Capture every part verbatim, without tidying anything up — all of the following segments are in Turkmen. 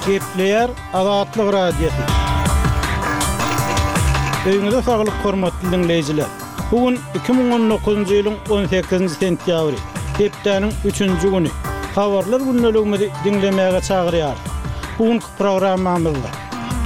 Gepleýär Azatlyk Radiosy. Öýüňize saglyk hormatly diňleýjiler. Bu gün iki müň on dokuzynjy ýylyň on sekizinji sentýabry, hepdäniň üçünji güni. Habarlar gündeligimizi diňlemäge çagyrýarys. Bu günki programmamyzda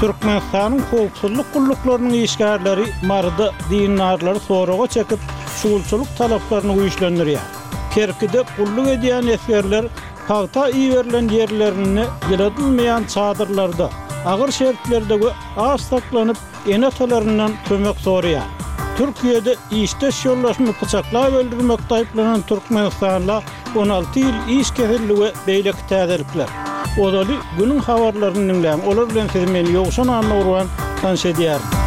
Türkmenistanyň howpsuzlyk gulluklarynyň işgärleri Maryda dindarlary soraga çekip, şugulçylyk talaplaryny güýçlendirýär. Kerkide gulluk edýän esgerler pagta iberilen ýerlerinde ýyladylmaýan çadyrlarda, agyr şertlerde we aç saklanyp, ene-atalaryndan kömek soraýar. Türkiýede işdeş ýoldaşyny pyçaklap öldürmekde aýyplanan türkmenistanla on alty ýyl iş kesildi we beýleki täzelikler. Ozaly günüň habarlaryny diňläň, olar bilen sizi men Ýowşan Annagurban tanyş edýärin.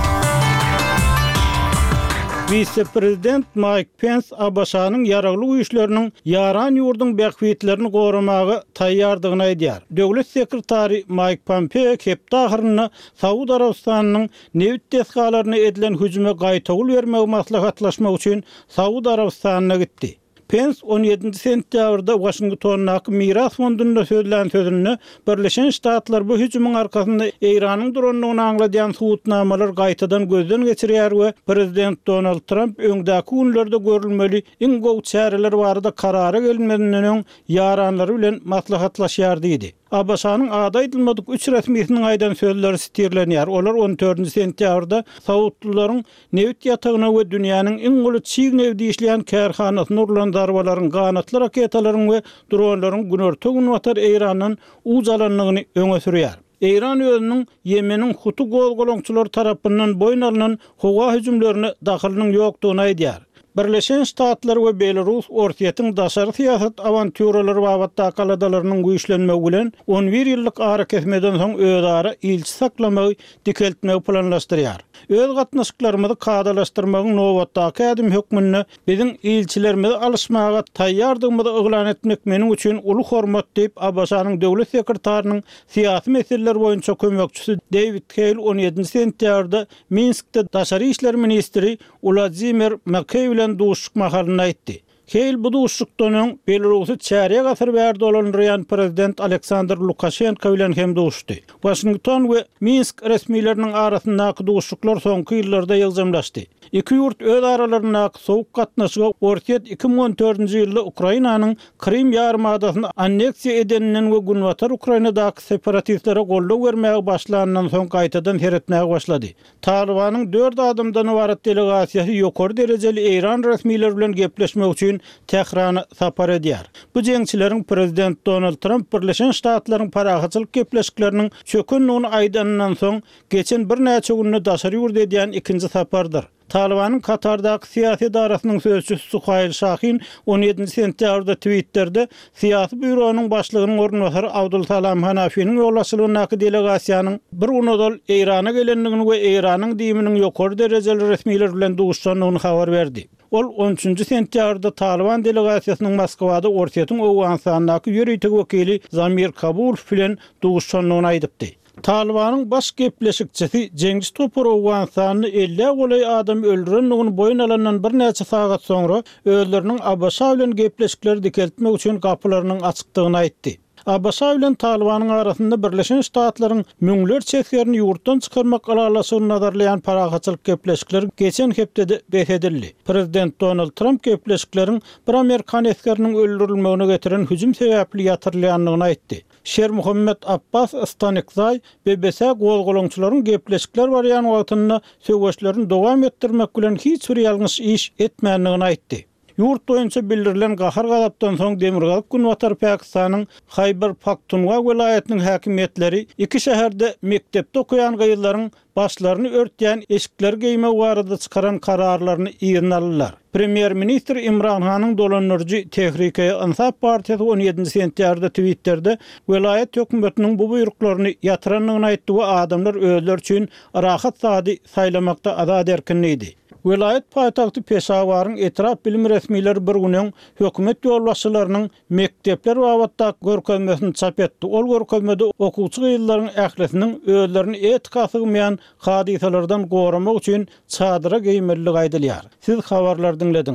Wise-prezident Maýk Pens A B Ş-nyň ýaragly güýçleriniň ýaran ýurduň bähbitlerini goramaga taýýardygyny aýdýar. Döwlet sekretary Maýk Pompeo hepde ahyrynda Saud Arabystanynyň nebit desgalaryna edilen hüjüme gaýtawul bermegi maslahatlaşmak üçin Saud Arabystanyna gitdi. Pens on ýedinji sentýabrda Waşingtondaky Miras fondunda sözlän sözünde Birleşen Ştatlar bu hüjümiň arkasynda Eýranyň durandygyny aňladýan subutnamalar gaýtadan gözden geçirýär we Prezident Donald Tramp öňdäki günlerde görülmeli iň gowy çäreler barada karara gelmezinden öň ýaranlary bilen maslahatlaşýar diýdi. A B Ş-nyň ady aýdylmadyk üç resmisiniň aýdan sözleri sitirlenýär. Olar on dördünji sentýabrda Saudlylaryň nebit ýatagyna we dünýäniň iň uly çig nebit işleýän kärhanasyna urlan zarbalaryň, ganatly raketalaryň we dronlaryň günorta-günbatar Eýrandan uç alandygyny öňe sürýär. Eýran özüniň Ýemeniň Hutu gozgalaňçylary tarapyndan boýun alnan howa hüjümlerine dahylynyň ýokdugyny aýdýar. Birleşen Ştatlar we Belarus Orsýetiň daşary syýasat awantýuralary babatdaky aladalarynyň güýçlenmegi bilen on bir ýyllyk arakesmeden soň özara ilçi saklamagy dikeltmegi planlaşdyrýar. Öz gatnaşyklarymyzy kadalaşdyrmagyň nobatdaky ädim hökmünde biziň ilçilerimizi alyşmaga taýýardygymyzy yglan etmek meniň üçin uly hormat diýip, A B Ş-nyň döwlet sekretarynyň syýasy meseleler boýunça kömekçisi David Hale on ýedinji sentýabrda Minskde daşary işler ministri Wladimir Makey bilen duşuşyk mahalynda aýtdy. Hale bu duşuşykdan öň Belarusy çärýek asyr bäri dolandyrýan prezident Aleksandr Lukaşenko bilen hem duşuşdy. Waşington we Minsk resmileriniň arasyndaky duşuşyklar soňky ýyllarda ýygjamlaşdy. Iki ýurt öz aralaryndaky sowuk gatnaşyga Orsýet iki müň on dördünji ýylda Ukrainanyň Krym ýarymadasyny anneksiýa edeninden we Günbatar Ukrainadaky separatistlere goldaw bermäge başlandan soň gaýtadan seretmäge başlady. Talybanyň dört adamdan ybarat delegasiýasy ýokary derejeli Eýran resmileri bilen gepleşmek üçin Tährana sapar edýär. Bu jeňçileriň prezident Donald Tramp Birleşen Ştatlaryň parahatçylyk gepleşikleriniň çökendigini aýdanyndan soň geçen birnäçe günde daşary ýurt edýän ikinji sapardyr. Talybanyň Katardaky syýasy edarasynyň sözçüsi Suhaýl Şahin on ýedinji sentýabrda Twitterде syýasy býuronyň başlygynyň orunbasary Abdulsalam Hanafiniň ýolbaşçylygyndaky delegasiýanyň bir gün ozal Eýrana gelendigini we Eýranyň DIM-iniň ýokary derejeli resmileri bilen duşuşandygyny habar berdi. Ol on üçünji sentýabrda Talyban delegasiýasynyň Moskwada Orsýetiň Owganystandaky ýörite wekili Zamir Kabulow bilen duşuşandygyny aýdypdy. Talybanyň baş gepleşikçisi jeňçi topar Owganystanda elli golaý adam öldürendigini boýun alandan birnäçe sagat soňra özleriniň A B Ş bilen gepleşikleri dikeltmek üçin gapylarynyň açykdygyny aýtdy. A B Ş bilen Talybanyň arasynda Birleşen Ştatlaryň müňlerçe esgerini ýurtdan çykarmak ylalaşygyny nazarlaýan parahatçylyk gepleşikleri geçen hepdede bes edildi. Prezident Donald Tramp gepleşikleriň bir Amerikan esgeriniň öldürilmegine getiren hüjüm sebäpli ýatyrylýandygyny aýtdy. Şer Muhammed Abbas Stanikzay B B C gozgalaňçylaryň gepleşikler barýan wagtynda söweşlerini dowam etdirmek bilen hiç bir ýalňyş iş etmändigini aýtdy. Ýurt boýunça bildirilen gahar gazapdan soň Demirgazyk Günbatar Pakistanyň Haýbar Pakhtunkhwa welaýatynyň häkimiýetleri iki şäherde mekdepde okaýan gyzlaryň başlaryny örtýän eşikler geýmek barada çykaran kararlaryny yzyna aldylar. Premýer-ministr Imran Hanyň dolandyryjy Tehrike Insaf partiýasy on ýedinji sentýabrda Twitterде welaýat hökümetiniň bu buýruklaryny ýatyrandygyny aýtdy we adamlar özleri üçin rahat sady saýlamakda azat erkin diýdi. Welaýat paýtagty Peşawaryň etrap bilim resmileri bir gün öň hökümet ýolbaşçylarynyň mekdepler babatdaky görkezmesini çap etdi. Ol görkezmede okuwçy gyzlaryň ählisiniň özlerini etika sygmaýan hadysalardan goramak üçin çadyra geýmelidigi aýdylýar. Siz habarlar diňlediňiz.